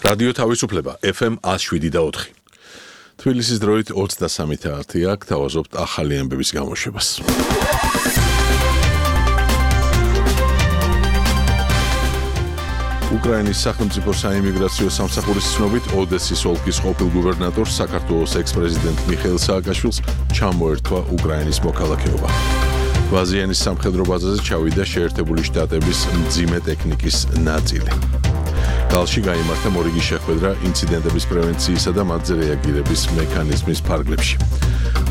რადიო თავისუფლება FM 107.4. თბილისის დროით 23:10 აქ თავაზობთ ახალი ამბების გამოშვებას. უკრაინის სახელმწიფო საიმიგრაციო სამსახურის ცნობით ოდესის ოლქის ყოფილ გუბერნატორს საქართველოს ექს-პრეზიდენტ მიხეილ სააკაშვილს ჩამოერთვა უკრაინის მოქალაქეობა. ვაზიანის სამხედრო ბაზაზე ჩავიდა შეერთებული შტატების მძიმე ტექნიკის ნაწილი. გალში გაიმართა მორიგი შეხვედრა ინციდენტების პრევენციისა და მათზე რეაგირების მექანიზმის ფარგლებში.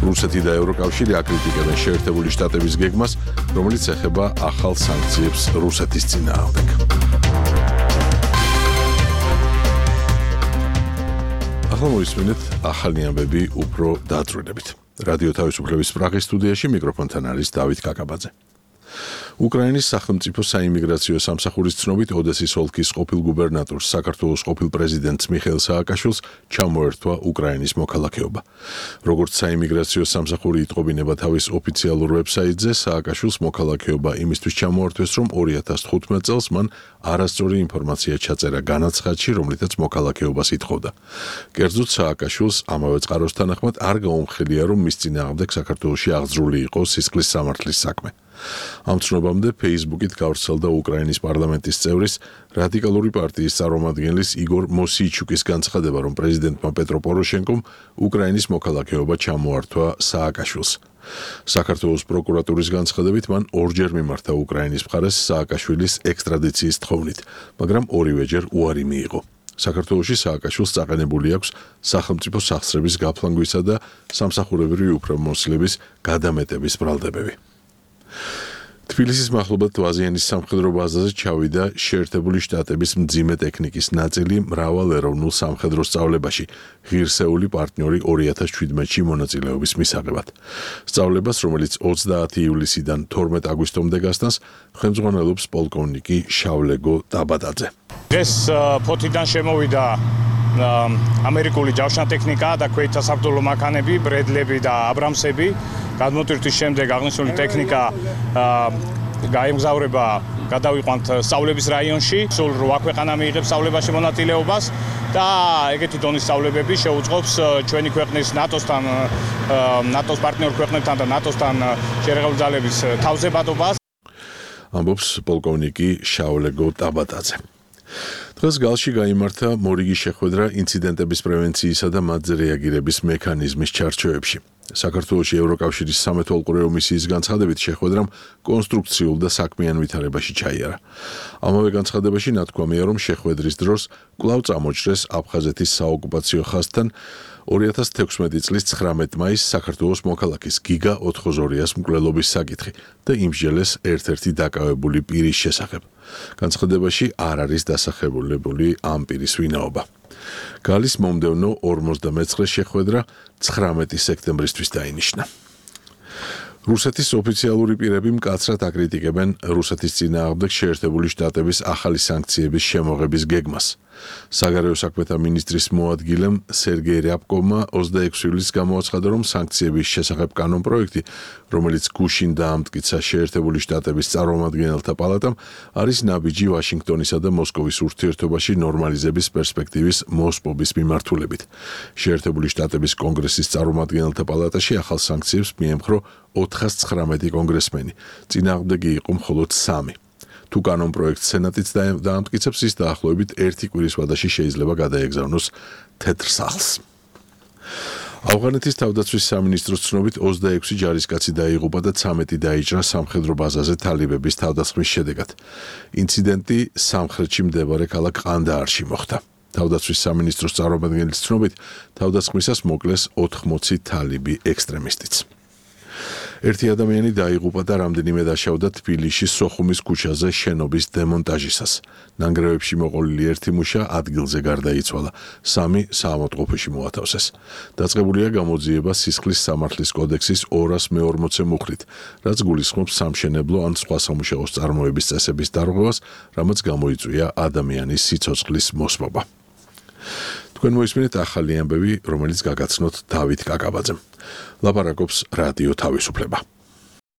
რუსეთი და ევროკავშირი აკრიტიკებენ შეერთებული შტატების გეგმას, რომელიც ეხება ახალ სანქციებს რუსეთის წინააღმდეგ. ახლა მოისმინეთ ახალი ამბები უფრო დაწვრილებით. რადიო თავისუფლების პრაღის სტუდიაში მიკროფონთან არის დავით კაკაბაძე. უკრაინის სახელმწიფო საიმიგრაციო სამსახურის ცნობით ოდესის ოლქის ყოფილ გუბერნატორს საქართველოს ყოფილ პრეზიდენტს მიხეილ სააკაშვილს ჩამოერთვა უკრაინის მოქალაქეობა. როგორც საიმიგრაციო სამსახური იტყობინება თავის ოფიციალურ ვებსაიტზე, სააკაშვილს მოქალაქეობა იმისთვის ჩამოართვეს, რომ 2015 წელს მან არასწორი ინფორმაცია ჩაწერა განაცხადში, რომლითაც მოქალაქეობას ითხოვდა. კერძოდ სააკაშვილს ამავე წყაროს თანახმად არ გაუმხელია, რომ მის წინააღმდეგ საქართველოში აღძრული იყო სისხლის სამართლის საქმე. ამ ცნობამდე Facebook-ით გავრცელდა უკრაინის პარლამენტის წევრის რადიკალური პარტიის წარმომადგენლის იგორ მოსიიჩუკის განცხადება, რომ პრეზიდენტმა პეტრო პოროშენკომ უკრაინის მოქალაქეობა ჩამოართვა სააკაშვილს. საქართველოს პროკურატურის განცხადებით მან ორჯერ მიმართა უკრაინის მხარეს სააკაშვილის ექსტრადიციის თხოვნით, მაგრამ ორივეჯერ უარი მიიღო. საქართველოში სააკაშვილს წაყენებული აქვს სახელმწიფო სახსრების გაფლანგვისა და სამსახურებრივი უფლებამოსილების გადამეტების ბრალდებები. თბილისის მახლობლად ვაზიანის სამხედრო ბაზაზე ჩავიდა შეერთებული შტატების მძიმე ტექნიკის ნაწილი მრავალეროვნულ სამხედრო სწავლებაში ღირსეული პარტნიორი 2017-ში მონაწილეობის მისაღებად. სწავლებას, რომელიც 20 ივლისიდან 12 აგვისტომდე გასტანს, ხელმძღვანელობს პოლკოვნიკი შავლეგო დაბადაძე. დღეს ფოთიდან შემოვიდა ამერიკული ჯავშნატექნიკა და ქვეითთა საბრძოლო მანქანები, ბრედლები და აბრამსები. გადმოტვირთვის შემდეგ აღნიშნული ტექნიკა გაემგზავრება გადავიყვანთ სწავლების რაიონში. სულ 8 ქვეყანა მიიღებს სწავლებაში მონაწილეობას და ეგეთი დონის სწავლებები შეუწყობს ჩვენი ქვეყნის ნატოსთან, ნატოს პარტნიორ ქვეყნებთან და ნატოსთან შერეღებული ძალების თავზებადობას. ამბობს პოლკოვნიკი შავლეგო დაბადაძე. დღეს გალში გაიმართა მორიგი შეხვედრა ინციდენტების პრევენციისა და მათზე რეაგირების მექანიზმის ჩარჩოებში. საქართველოში ევროკავშირის სამეთვალყურეო მისიის განცხადებით შეხვედრამ კონსტრუქციულ და საქმიან ვითარებაში ჩაიარა. ამავე განცხადებაში ნათქვამია, რომ შეხვედრის დროს კვლავ წამოჭრეს აფხაზეთის საოკუპაციო ხაზთან 2016 წლის 19 მაისს საქართველოს მოქალაქის გიგა ოთხოზორიას მკვლელობის საკითხი და იმსჯელეს ერთ-ერთი დაკავებული პირის შესახებ. განცხადებაში არ არის დასახელებული ამ პირის ვინაობა. გალის მომდევნო 49 შეხვედრა 19 სექტემბრისთვის დაინიშნა. რუსეთის ოფიციალური პირები მკაცრად აკრიტიკებენ რუსეთის წინააღმდეგ შეერთებული შტატების ახალი სანქციების შემოღების გეგმას. საგარეო საქმეთა მინისტრის მოადგილემ სერგეი რიაბკოვმა 26 ივლისს გამოაცხადა, რომ სანქციების შესახებ კანონპროექტი, რომელიც გუშინ დაამტკიცა შეერთებული შტატების წარმომადგენელთა პალატამ, არის ნაბიჯი ვაშინგტონისა და მოსკოვის ურთიერთობაში ნორმალიზების პერსპექტივის მოსპობის მიმართულებით. შეერთებული შტატების კონგრესის წარმომადგენელთა პალატაში ახალ სანქციებს მიემხრო 419 კონგრესმენი, წინააღმდეგი იყო მხოლოდ 3. თუ კანონპროექტს სენატიც დაამტკიცებს, ის დაახლოებით 1 კვირის ვადაში შეიძლება გადაეგზავნოს თეთრ სახლს. ავღანეთის თავდაცვის სამინისტროს ცნობით 26 ჯარისკაცი დაიღუპა და 13 დაიჭრა სამხედრო ბაზაზე თალიბების თავდასხმის შედეგად. ინციდენტი სამხრეთში მდებარე ქალაქ ყანდაარში მოხდა. თავდაცვის სამინისტროს წარმომადგენლის ცნობით, თავდასხმისას მოკლეს 80 თალიბი ექსტრემისტიც. ერთი ადამიანი დაიღუპა და რამდენიმე დაშავდა თბილისში სოხუმის ქუჩაზე შენობის დემონტაჟისას. ნანგრევებში მოყოლილი ერთი მუშა ადგილზე გარდაიცვალა, 3 საავადმყოფოში მოათავსეს. დაწყებულია გამოძიება სისხლის სამართლის კოდექსის 240 მუხლით, რაც გულისხმობს სამშენებლო ან სხვა სამუშაოს წარმოების წესების დარღვევას, რამაც გამოიწვია ადამიანის სიცოცხლის მოსპობა. თქვენ მოისმინეთ ახალი ამბები, რომელიც გაგაცნოთ დავით კაკაბაძემ. ლაპარაკობს რადიო თავისუფლება.